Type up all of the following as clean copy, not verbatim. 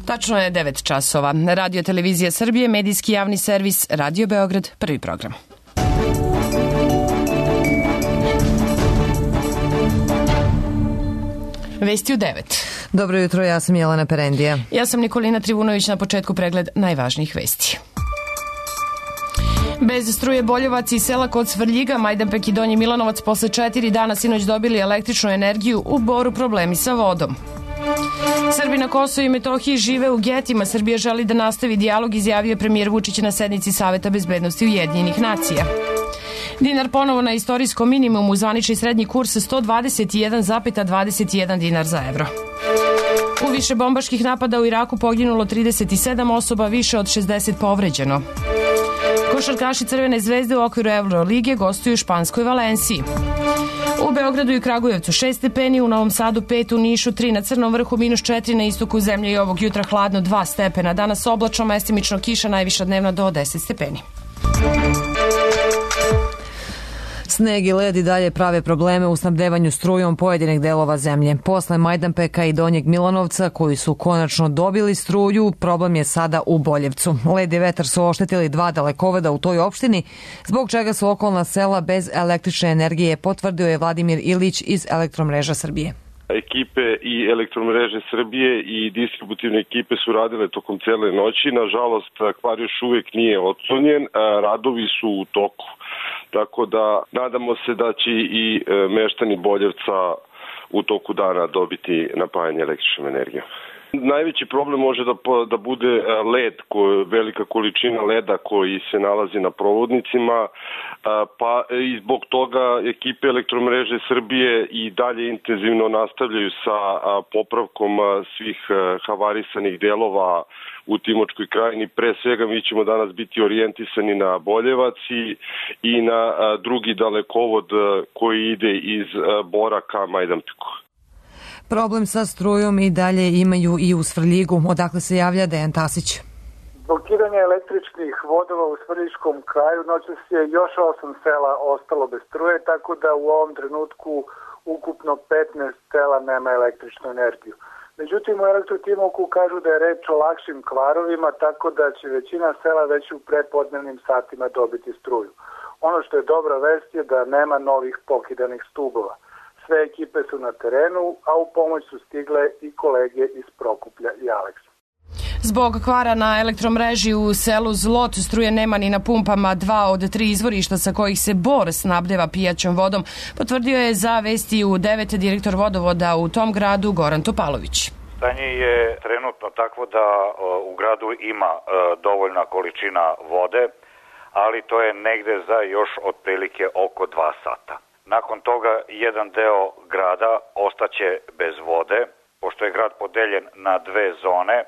Tačno je 9 časova. Radio Televizija Srbije, medijski javni servis, Radio Beograd, prvi program. Vesti u 9. Dobro jutro, ja sam Jelena Perendija. Ja sam Nikolina Trivunović, na početku pregled najvažnijih vesti. Bez struje Boljevac i sela kod Svrljiga, Majdanpek i Donji Milanovac posle 4 dana sinoć dobili električnu energiju, u Boru problemi sa vodom. Srbi na Kosovu i Metohiji žive u getima. Srbija želi da nastavi dijalog, izjavio je premijer Vučić na sednici Saveta bezbednosti Ujedinjenih nacija. Dinar ponovo na istorijskom minimumu, zvanični srednji kurs 121,21 dinar za evro. U više bombaških napada u Iraku poginulo 37 osoba, više od 60 povređeno. Košarkaši Crvene zvezde u okviru Eurolige gostuju u španskoj Valenciji. U Beogradu i Kragujevcu 6 stepeni, u Novom Sadu 5, u Nišu 3, na Crnom vrhu -4, na istoku zemlje i ovog jutra hladno 2 stepena. Danas oblačno, mestimično kiša, najviša dnevna do 10 stepeni. Sneg i led i dalje prave probleme u snabdevanju strujom pojedinih delova zemlje. Posle Majdanpeka i Donjeg Milanovca, koji su konačno dobili struju, problem je sada u Boljevcu. Led i vetar su oštetili 2 dalekoveda u toj opštini, zbog čega su okolna sela bez električne energije, potvrdio je Vladimir Ilić iz Elektromreža Srbije. Ekipe i Elektromreže Srbije i distributivne ekipe su radile tokom cele noći. Nažalost, kvar još uvijek nije otklonjen, radovi su u toku. Tako da nadamo se da će i meštani Boljevca u toku dana dobiti napajanje električnom energijom. Najveći problem može da bude led, velika količina leda koji se nalazi na provodnicima, pa i zbog toga ekipe Elektromreže Srbije i dalje intenzivno nastavljaju sa popravkom svih havarisanih delova u Timočkoj krajini. Pre svega mi ćemo danas biti orijentisani na Boljevac i na drugi dalekovod koji ide iz Bora ka Majdanpeku. Problem sa strujom i dalje imaju i u Svrljigu. Odakle se javlja Dejan Tasić? Blokiranje električnih vodova u Svrljiškom kraju, noćas je još 8 sela ostalo bez struje, tako da u ovom trenutku ukupno 15 sela nema električnu energiju. Međutim, u Elektrotimoku kažu da je reč o lakšim kvarovima, tako da će većina sela već u prepodnevnim satima dobiti struju. Ono što je dobra vest je da nema novih pokidanih stubova. Sve ekipe su na terenu, a u pomoć su stigle i kolege iz Prokuplja i Aleksa. Zbog kvara na elektromreži u selu Zlot struje nema ni na pumpama. 2 od 3 izvorišta sa kojih se Bor snabdeva pijaćom vodom, potvrdio je za Vesti u 9 direktor vodovoda u tom gradu Goran Topalović. Stanje je trenutno takvo da u gradu ima dovoljna količina vode, ali to je negde za još otprilike oko 2 sata. Nakon toga jedan deo grada ostaće bez vode, pošto je grad podeljen na 2 zone.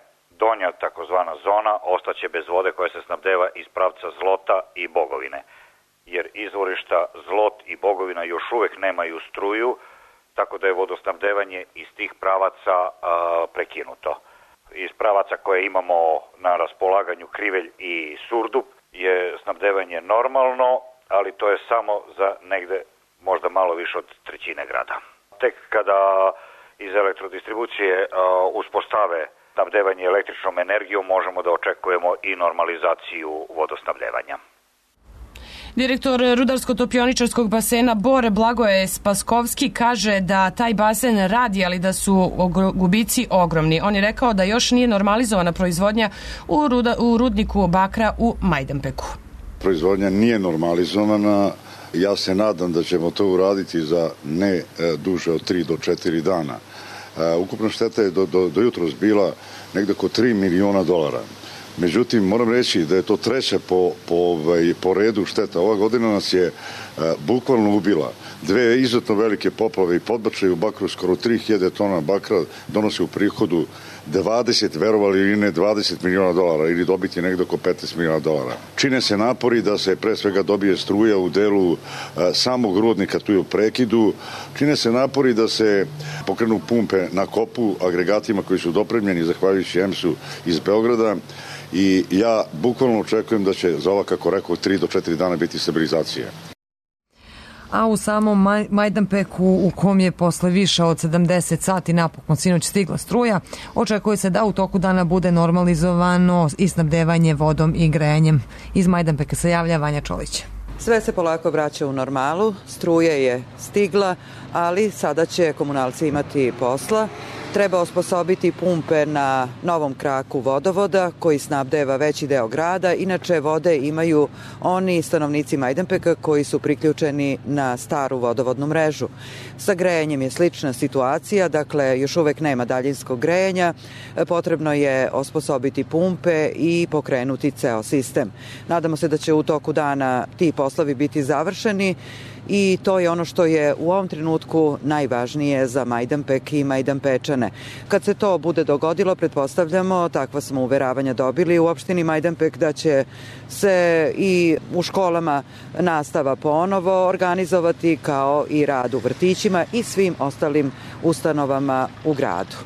Donja takozvana zona ostaće bez vode koja se snabdeva iz pravca Zlota i Bogovine, jer izvorišta Zlot i Bogovina još uvek nemaju struju, tako da je vodosnabdevanje iz tih pravaca prekinuto. Iz pravaca koje imamo na raspolaganju, Krivelj i Surdup, je snabdevanje normalno, ali to je samo za negde možda malo više od 1/3 grada. Tek kada iz elektrodistribucije uspostave snabdevanje električnom energijom, možemo da očekujemo i normalizaciju vodosnabdevanja. Direktor Rudarsko-topioničarskog basena Bor Blagoje Spaskovski kaže da taj basen radi, ali da su gubici ogromni. On je rekao da još nije normalizovana proizvodnja u rudniku bakra u Majdanpeku. Proizvodnja nije normalizovana. Ja se nadam da ćemo to uraditi za ne duže od 3 do 4 dana. Ukupna šteta je do jutros bila negde oko $3 miliona. Međutim, moram reći da je to treća po redu šteta. Ova godina nas je bukvalno ubila. 2 izuzetno velike poplave i podbačaj u bakru, skoro 3000 tona bakra donosi u prihodu 20, verovali ili ne, $20 miliona ili dobiti negde oko $15 miliona. Čine se napori da se pre svega dobije struja u delu samog rudnika, tu je u prekidu. Čine se napori da se pokrenu pumpe na kopu agregatima koji su dopremljeni zahvaljujući EMS-u iz Beograda. I ja bukvalno očekujem da će za ova, kako rekao, 3 do 4 dana biti stabilizacija. a u samom Majdanpeku, u kom je posle više od 70 sati napokon sinoć stigla struja, očekuje se da u toku dana bude normalizovano i snabdevanje vodom i grejanjem. Iz Majdanpeka se javlja Vanja Čolić. Sve se polako vraća u normalu, struja je stigla, ali sada će komunalci imati posla. Treba osposobiti pumpe na novom kraku vodovoda koji snabdeva veći deo grada. Inače, vode imaju oni stanovnici Majdanpeka koji su priključeni na staru vodovodnu mrežu. Sa grejanjem je slična situacija, dakle još uvek nema daljinskog grejanja. Potrebno je osposobiti pumpe i pokrenuti ceo sistem. Nadamo se da će u toku dana ti poslovi biti završeni. I to je ono što je u ovom trenutku najvažnije za Majdanpek i Majdanpečane. Kad se to bude dogodilo, pretpostavljamo, takva smo uveravanja dobili u opštini Majdanpek, da će se i u školama nastava ponovo organizovati, kao i rad u vrtićima i svim ostalim ustanovama u gradu.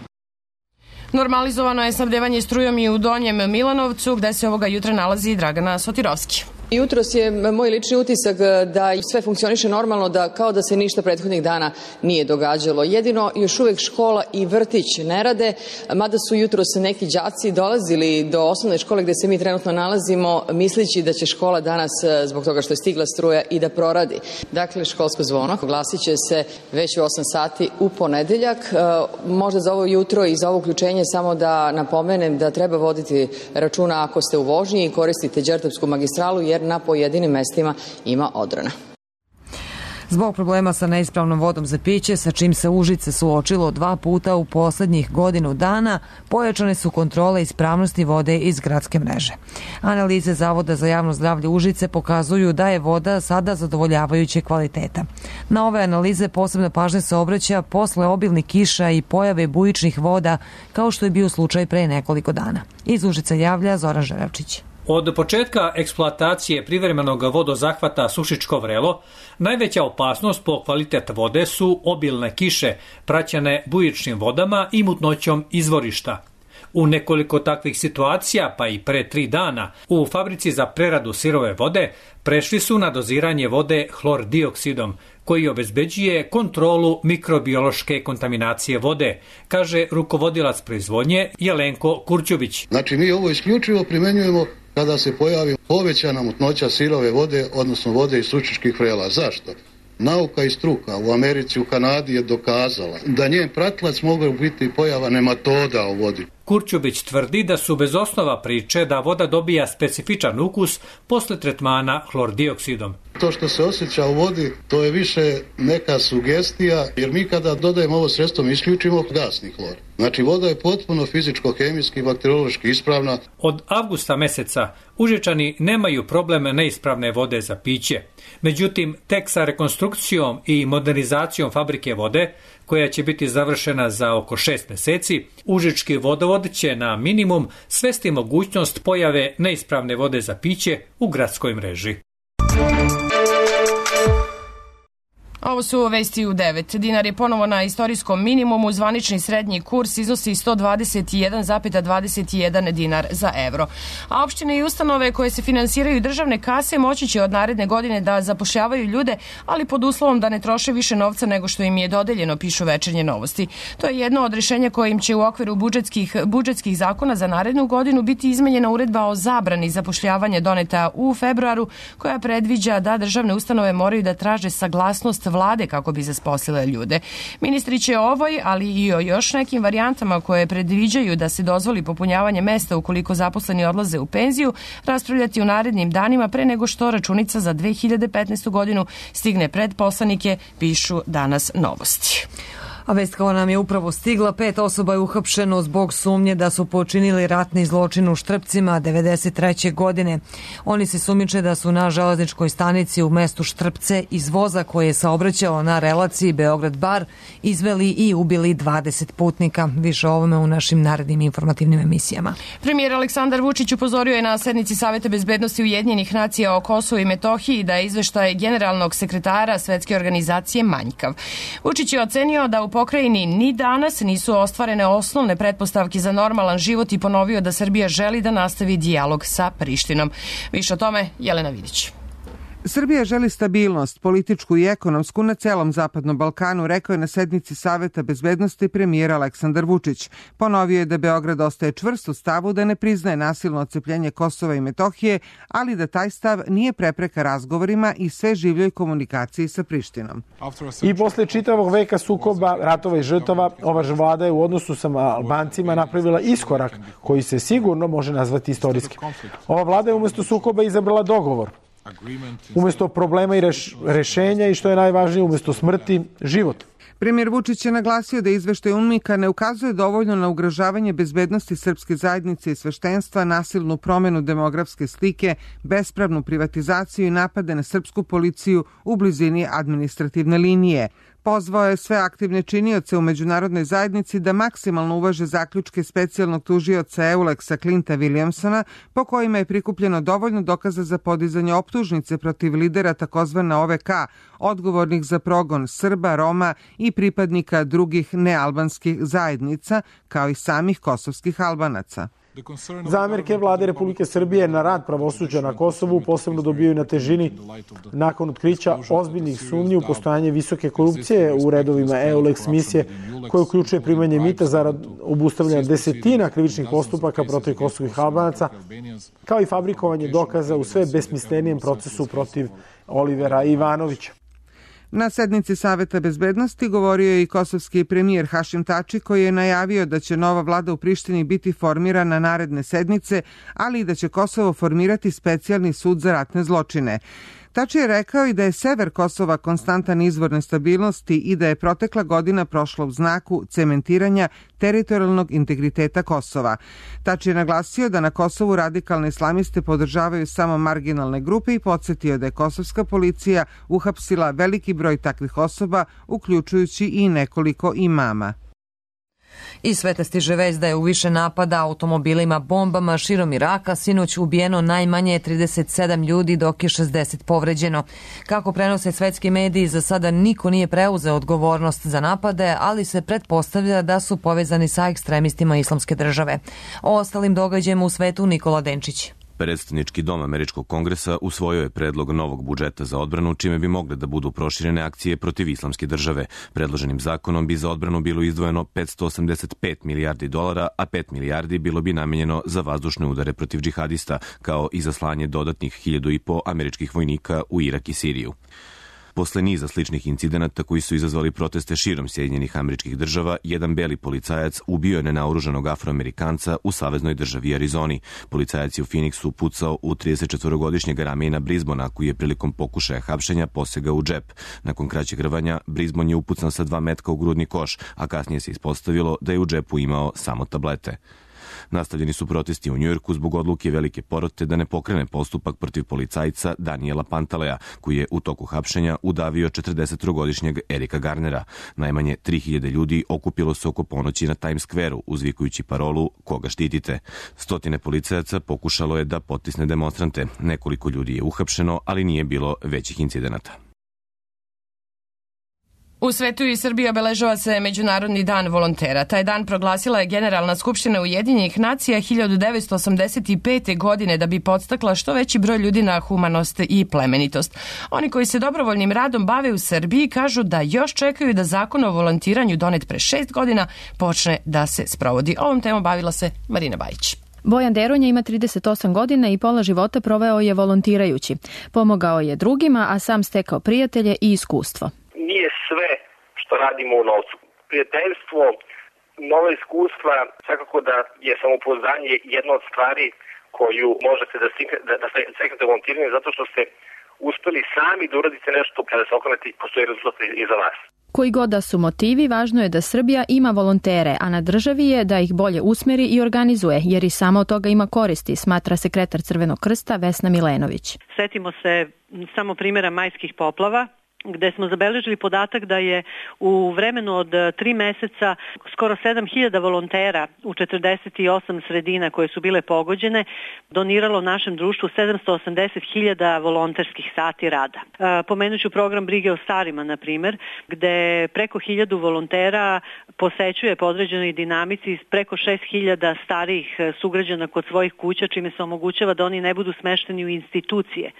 Normalizovano je snabdevanje strujom i u Donjem Milanovcu, gde se ovoga jutra nalazi Dragana Sotirovski. Jutros je moj lični utisak da sve funkcioniše normalno, da kao da se ništa prethodnih dana nije događalo. Jedino još uvek škola i vrtić ne rade, mada su jutros neki đaci dolazili do osnovne škole gde se mi trenutno nalazimo, misleći da će škola danas, zbog toga što je stigla struja, i da proradi. Dakle, školsko zvono glasit će se već u 8 sati u ponedeljak. Možda za ovo jutro i za ovo uključenje samo da napomenem da treba voditi računa ako ste u vožnji i koristite Đerdapsku magistralu, jer na pojedinim mestima ima odrona. Zbog problema sa neispravnom vodom za piće, sa čim se Užice suočilo 2 puta u poslednjih godinu dana, pojačane su kontrole ispravnosti vode iz gradske mreže. Analize Zavoda za javno zdravlje Užice pokazuju da je voda sada zadovoljavajuće kvaliteta. Na ove analize posebna pažnja se obraća posle obilnih kiša i pojave bujičnih voda, kao što je bio slučaj pre nekoliko dana. Iz Užica javlja Zoran Žeravčić. Od početka eksploatacije privremenog vodozahvata Sušičko Vrelo, najveća opasnost po kvalitet vode su obilne kiše, praćene bujičnim vodama i mutnoćom izvorišta. U nekoliko takvih situacija, pa i pre 3 dana, u fabrici za preradu sirove vode prešli su na doziranje vode hlordioksidom, koji obezbeđuje kontrolu mikrobiološke kontaminacije vode, kaže rukovodilac proizvodnje Jelenko Kurćubić. Znači, mi ovo isključivo primenjujemo kada se pojavi povećana mutnoća sirove vode, odnosno vode iz Sušičkih Vrela. Zašto? Nauka i struka u Americi, u Kanadi je dokazala da njen pratilac mogu biti pojava nematoda u vodi. Kurćubić tvrdi da su bez osnova priče da voda dobija specifičan ukus posle tretmana hlordioksidom. To što se osjeća u vodi, to je više neka sugestija, jer mi kada dodajemo ovo sredstvo mi isključimo gasni hlor. Znači, voda je potpuno fizičko-hemijski i bakteriološki ispravna. Od avgusta meseca Užičani nemaju problem neispravne vode za piće. Međutim, tek sa rekonstrukcijom i modernizacijom fabrike vode, koja će biti završena za oko 6 meseci, Užički vodovod će na minimum svesti mogućnost pojave neispravne vode za piće u gradskoj mreži. Ovo su vesti u 9. Dinar je ponovo na istorijskom minimumu, zvanični srednji kurs iznosi 121,21 dinar za evro. A opštine i ustanove koje se finansiraju državne kase moći će od naredne godine da zapošljavaju ljude, ali pod uslovom da ne troše više novca nego što im je dodeljeno, pišu Večernje novosti. To je jedno od rešenja kojim će u okviru budžetskih zakona za narednu godinu biti izmenjena uredba o zabrani zapošljavanja doneta u februaru, koja predviđa da državne ustanove moraju da traže saglasnost vlade kako bi zaposlile ljude. Ministri će o ovoj, ali i o još nekim varijantama koje predviđaju da se dozvoli popunjavanje mesta ukoliko zaposleni odlaze u penziju, raspravljati u narednim danima pre nego što računica za 2015. godinu stigne pred poslanike, pišu Danas novosti. A vest kao nam je upravo stigla, 5 osoba je uhapšeno zbog sumnje da su počinili ratni zločin u Štrpcima 1993. godine. Oni se sumnjiče da su na železničkoj stanici u mestu Štrpce iz voza koje je saobraćao na relaciji Beograd-Bar izveli i ubili 20 putnika. Više o ovome u našim narednim informativnim emisijama. Premijer Aleksandar Vučić upozorio je na sednici Saveta bezbednosti Ujedinjenih nacija o Kosovu i Metohiji da je izveštaj generalnog sekretara Svetske organizacije manjkav. Vučić je ocenio da u pokrajini ni danas nisu ostvarene osnovne pretpostavke za normalan život i ponovio da Srbija želi da nastavi dijalog sa Prištinom. Više o tome Jelena Vidić. Srbija želi stabilnost, političku i ekonomsku na celom Zapadnom Balkanu, rekao je na sednici Saveta bezbednosti premijer Aleksandar Vučić. Ponovio je da Beograd ostaje čvrst u stavu da ne priznaje nasilno odcepljenje Kosova i Metohije, ali da taj stav nije prepreka razgovorima i sve življoj komunikaciji sa Prištinom. I posle čitavog veka sukoba, ratova i žrtava, ova vlada je u odnosu sa Albancima napravila iskorak koji se sigurno može nazvati istorijski. Ova vlada je umesto sukoba izabrala dogovor. Umesto problema i rešenja i što je najvažnije, umesto smrti, život. Premijer Vučić je naglasio da izveštaj UNMIK-a ne ukazuje dovoljno na ugrožavanje bezbednosti srpske zajednice i sveštenstva, nasilnu promenu demografske slike, bespravnu privatizaciju i napade na srpsku policiju u blizini administrativne linije. Pozvao je sve aktivne činioce u međunarodnoj zajednici da maksimalno uvaže zaključke specijalnog tužioca EULEX-a Clinta Williamsona, po kojima je prikupljeno dovoljno dokaza za podizanje optužnice protiv lidera takozvane OVK, odgovornih za progon Srba, Roma i pripadnika drugih nealbanskih zajednica, kao i samih kosovskih Albanaca. Zamerke vlade Republike Srbije na rad pravosuđa na Kosovu posebno dobijaju na težini nakon otkrića ozbiljnih sumnji u postojanje visoke korupcije u redovima EULEX misije, koja uključuje primanje mita zarad obustavljanja desetina krivičnih postupaka protiv kosovih Albanaca, kao i fabrikovanje dokaza u sve besmislenijem procesu protiv Olivera Ivanovića. Na sednici Saveta bezbednosti govorio je i kosovski premijer Hašim Tači, koji je najavio da će nova vlada u Prištini biti formirana naredne sedmice, ali i da će Kosovo formirati specijalni sud za ratne zločine. Tači je rekao i da je sever Kosova konstantan izvor nestabilnosti i da je protekla godina prošla u znaku cementiranja teritorijalnog integriteta Kosova. Tači je naglasio da na Kosovu radikalne islamiste podržavaju samo marginalne grupe i podsjetio da je kosovska policija uhapsila veliki broj takvih osoba, uključujući i nekoliko imama. Iz sveta stiže vest da je u više napada automobilima bombama širom Iraka sinoć ubijeno najmanje 37 ljudi, dok je 60 povređeno. Kako prenose svetski mediji, za sada niko nije preuzeo odgovornost za napade, ali se pretpostavlja da su povezani sa ekstremistima Islamske države. O ostalim događajima u svetu Nikola Denčić. Predstavnički dom Američkog kongresa usvojio je predlog novog budžeta za odbranu, čime bi mogle da budu proširene akcije protiv Islamske države. Predloženim zakonom bi za odbranu bilo izdvojeno $585 milijardi, a 5 milijardi bilo bi namenjeno za vazdušne udare protiv džihadista, kao i za slanje dodatnih 1.500 američkih vojnika u Irak i Siriju. Posle niza sličnih incidenata koji su izazvali proteste širom Sjedinjenih Američkih Država, jedan beli policajac ubio je nenaoružanog Afroamerikanca u saveznoj državi Arizoni. Policajac je u Phoenixu pucao u 34-godišnjeg Ramejna Brisbona, koji je prilikom pokušaja hapšenja posegao u džep. Nakon kraćeg rvanja, Brisbon je upucan sa 2 metka u grudni koš, a kasnije se ispostavilo da je u džepu imao samo tablete. Nastavljeni su protesti u Njujorku zbog odluke velike porote da ne pokrene postupak protiv policajca Daniela Pantaleja, koji je u toku hapšenja udavio 43-godišnjeg Erika Garnera. Najmanje 3000 ljudi okupilo se oko ponoći na Times Square-u, uzvikujući parolu "Koga štitite?". Stotine policajaca pokušalo je da potisne demonstrante. Nekoliko ljudi je uhapšeno, ali nije bilo većih incidenata. U svetu i Srbiji obeležava se Međunarodni dan volontera. Taj dan proglasila je Generalna skupština Ujedinjenih nacija 1985. godine da bi podstakla što veći broj ljudi na humanost i plemenitost. Oni koji se dobrovoljnim radom bave u Srbiji kažu da još čekaju da zakon o volontiranju donet pre 6 godina počne da se sprovodi. Ovom temom bavila se Marina Bajić. Bojan Deronja ima 38 godina i pola života proveo je volontirajući. Pomogao je drugima, a sam stekao prijatelje i iskustvo. Nije sve što radimo u novcu. Prijateljstvo, nova iskustva, svakako da je samopouzdanje jedna od stvari koju možete da steknete volontiranjem, zato što ste uspeli sami da uradite nešto kada se okrenete i postoji rezultat iza vas. Koji god da su motivi, važno je da Srbija ima volontere, a na državi je da ih bolje usmeri i organizuje, jer i samo od toga ima koristi, smatra sekretar Crvenog krsta Vesna Milenović. Setimo se samo primjera majskih poplava, gde smo zabeležili podatak da je u vremenu od 3 meseca skoro 7.000 volontera u 48 sredina koje su bile pogođene doniralo našem društvu 780.000 volonterskih sati rada. Pomenuću program brige o starima, na primjer, gde preko 1.000 volontera posećuje po određenoj dinamici preko 6.000 starijih sugrađana kod svojih kuća, čime se omogućava da oni ne budu smešteni u institucije.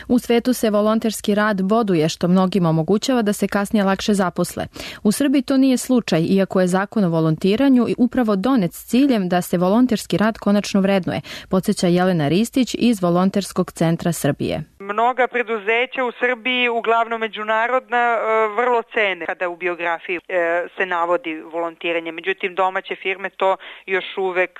U svetu se volonterski rad boduje, što mnogima omogućava da se kasnije lakše zaposle. U Srbiji to nije slučaj, iako je zakon o volontiranju upravo donet s ciljem da se volonterski rad konačno vrednuje, podsjeća Jelena Ristić iz Volonterskog centra Srbije. Mnoga preduzeća u Srbiji, uglavnom međunarodna, vrlo cene kada u biografiji se navodi volontiranje. Međutim, domaće firme to još uvek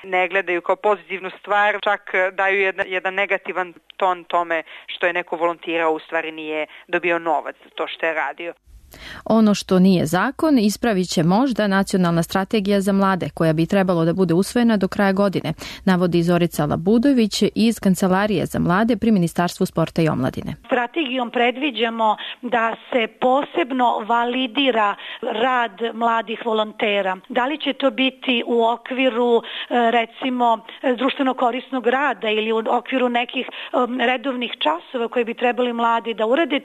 ne gledaju kao pozitivnu stvar, čak daju jedan negativan ton tome što je neko volontirao, u stvari nije dobio novac za to što je radio. Ono što nije zakon ispravit će možda nacionalna strategija za mlade, koja bi trebalo da bude usvojena do kraja godine, navodi Zorica Labudović iz Kancelarije za mlade pri Ministarstvu sporta i omladine. Strategijom predviđamo da se posebno validira rad mladih volontera. Da li će to biti u okviru, recimo, društveno korisnog rada ili u okviru nekih redovnih časova koje bi trebali mladi da urade?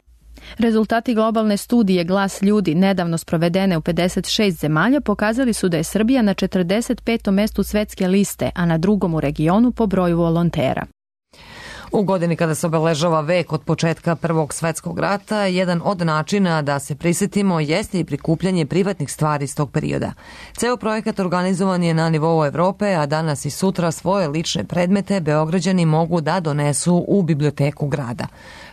Rezultati globalne studije Glas ljudi, nedavno sprovedene u 56 zemalja, pokazali su da je Srbija na 45. mestu svetske liste, a na drugom u regionu po broju volontera. U godini kada se obeležava vek od početka Prvog svetskog rata, jedan od načina da se prisjetimo jeste i prikupljanje privatnih stvari iz tog perioda. Ceo projekat organizovan je na nivou Evrope, a danas i sutra svoje lične predmete Beograđani mogu da donesu u biblioteku grada.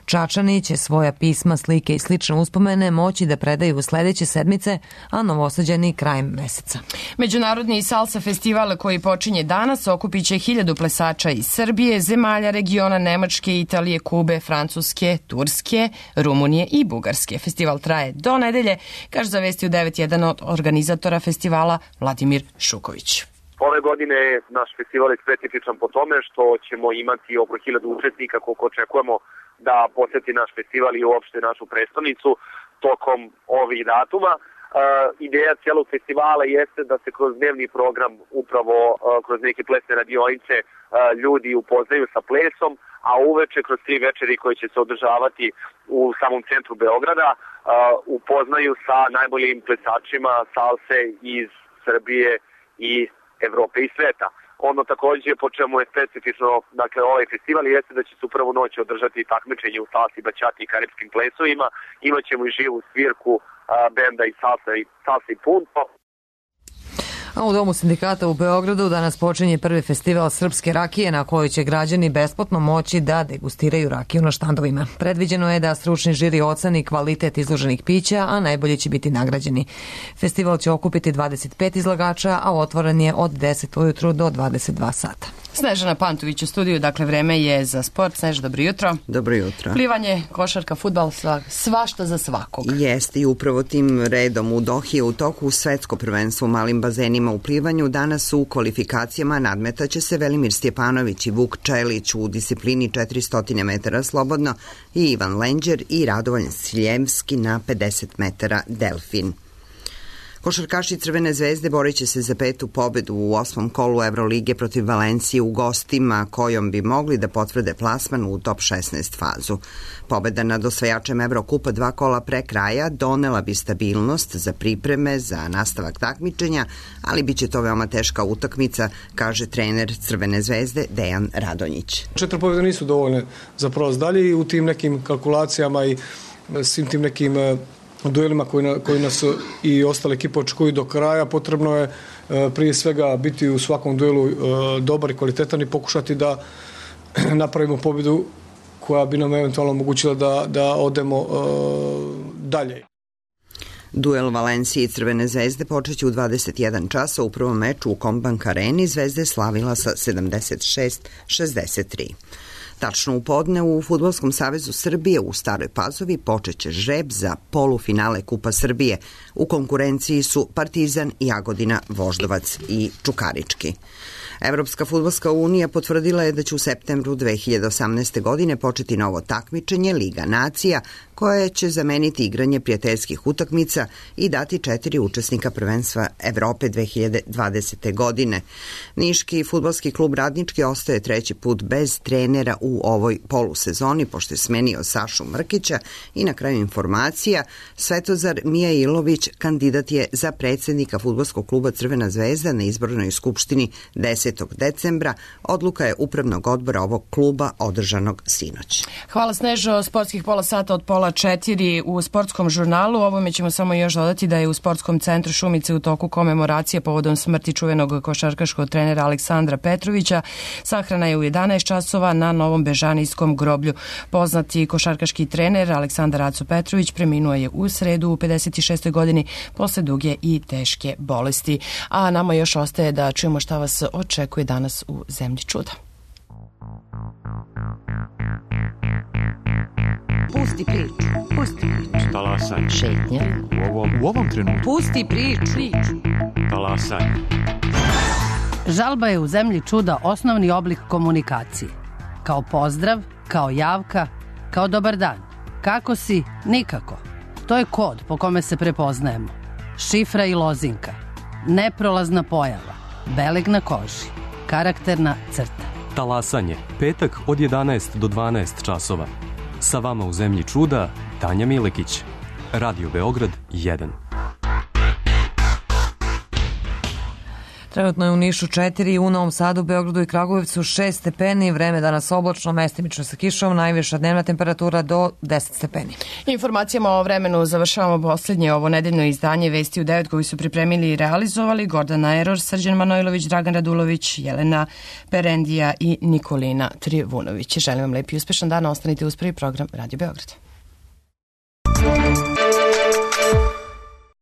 Čačani će svoja pisma, slike i slične uspomene moći da predaju sledeće sedmice, a Novosađani krajem meseca. Međunarodni salsa festival koji počinje danas okupit će 1000 plesača iz Srbije, zemalja regiona Nemačke, Italije, Kube, Francuske, Turske, Rumunije i Bugarske. Festival traje do nedelje, kaže za Vesti u 9 jedan od organizatora festivala Vladimir Šuković. Ove godine naš festival je specifičan po tome što ćemo imati oko 1000 učesnika koliko očekujemo da poseti naš festival i uopšte našu prestonicu tokom ovih datuma. Ideja cijelog festivala jeste da se kroz dnevni program, upravo kroz neke plesne radionice, ljudi upoznaju sa plesom, a uveče kroz 3 večeri koje će se održavati u samom centru Beograda upoznaju sa najboljim plesačima salse iz Srbije i Evrope i sveta. Ono takođe po čemu je specifično, dakle, ovaj festival jeste da će se u prvu noć održati takmičenje u salsi, bačati i karipskim plesovima. Imaćemo i živu svirku benda i salsa i punto. A u Domu sindikata u Beogradu danas počinje prvi festival srpske rakije na kojoj će građani besplatno moći da degustiraju rakiju na štandovima. Predviđeno je da stručni žiri oceni kvalitet izloženih pića, a najbolji će biti nagrađeni. Festival će okupiti 25 izlagača, a otvoren je od 10 ujutru do 22 sata. Snežana Pantović u studiju, dakle vreme je za sport. Snež, dobro jutro. Dobro jutro. Plivanje, košarka, fudbal, svašta za svakog. Jeste i upravo tim redom u Dohi je u toku svetsko prvenstvo u malim bazenima u plivanju. Danas u kvalifikacijama nadmetaće se Velimir Stjepanović i Vuk Čelić u disciplini 400 metara slobodno i Ivan Lenđer i Radovan Siljevski na 50 metara delfin. Košarkaši Crvene zvezde borit će se za 5. pobedu u 8. kolu Evrolige protiv Valencije u gostima, kojom bi mogli da potvrde plasman u top 16 fazu. Pobeda nad osvajačem Evrokupa 2 kola pre kraja donela bi stabilnost za pripreme za nastavak takmičenja, ali biće to veoma teška utakmica, kaže trener Crvene zvezde Dejan Radonjić. 4 pobjede nisu dovoljne za prolaz dalje i u tim nekim kalkulacijama i svim tim nekim duelima koji nas i ostale ekipe očekuju do kraja, potrebno je prije svega biti u svakom duelu dobar i kvalitetan i pokušati da napravimo pobjedu koja bi nam eventualno omogućila da odemo dalje. Duel Valencije i Crvene zvezde počeće u 21 časa. U prvom meču u Combank areni Zvezda je slavila sa 76-63. Tačno u podne u Fudbalskom savezu Srbije u Staroj Pazovi počeće žreb za polufinale Kupa Srbije. U konkurenciji su Partizan, Jagodina, Voždovac i Čukarički. Evropska fudbalska unija potvrdila je da će u septembru 2018. godine početi novo takmičenje Liga nacija, koje će zameniti igranje prijateljskih utakmica i dati 4 učesnika prvenstva Evrope 2020. godine. Niški fudbalski klub Radnički ostaje 3. put bez trenera u u ovoj polusezoni, pošto je smenio Sašu Mrkića. I na kraju informacija, Svetozar Mijailović kandidat je za predsjednika fudbalskog kluba Crvena zvezda na izbornoj skupštini 10. decembra. Odluka je upravnog odbora ovog kluba održanog sinoć. Hvala Snežo, sportskih pola sata od 3:30 u sportskom žurnalu. Ovome ćemo samo još dodati da je u sportskom centru Šumice u toku komemoracije povodom smrti čuvenog košarkaškog trenera Aleksandra Petrovića. Sahrana je u 11 časova na Novom Bežanijskom groblju. Poznati košarkaški trener Aleksandar Aco Petrović preminuo je u sredu u 56. godini posle duge i teške bolesti. A nama još ostaje da čujemo šta vas očekuje danas u Zemlji čuda. Pusti priču. Pusti priču. Talasaj. Šetnja. U ovom trenutku. Pusti priču. Talasaj. Žalba je u Zemlji čuda osnovni oblik komunikacije. Kao pozdrav, kao javka, kao dobar dan. Kako si? Nikako. To je kod po kome se prepoznajemo. Šifra i lozinka. Neprolazna pojava. Beleg na koži. Karakterna crta. Talasanje. Petak od 11 do 12 časova. Sa vama u Zemlji čuda, Tanja Milekić. Radio Beograd 1. Trenutno je u Nišu 4, u Novom Sadu, Beogradu i Kragujevcu 6 stepeni, vreme danas oblačno, mestimično sa kišom, najviša dnevna temperatura do 10 stepeni. Informacijama o vremenu završavamo posljednje ovo nedeljno izdanje Vesti u 9 koji su pripremili i realizovali Gordana Eror, Srđan Manojlović, Dragan Radulović, Jelena Perendija i Nikolina Trivunović. Želim vam lep i uspešan dan, ostanite uz prvi program Radio Beograd.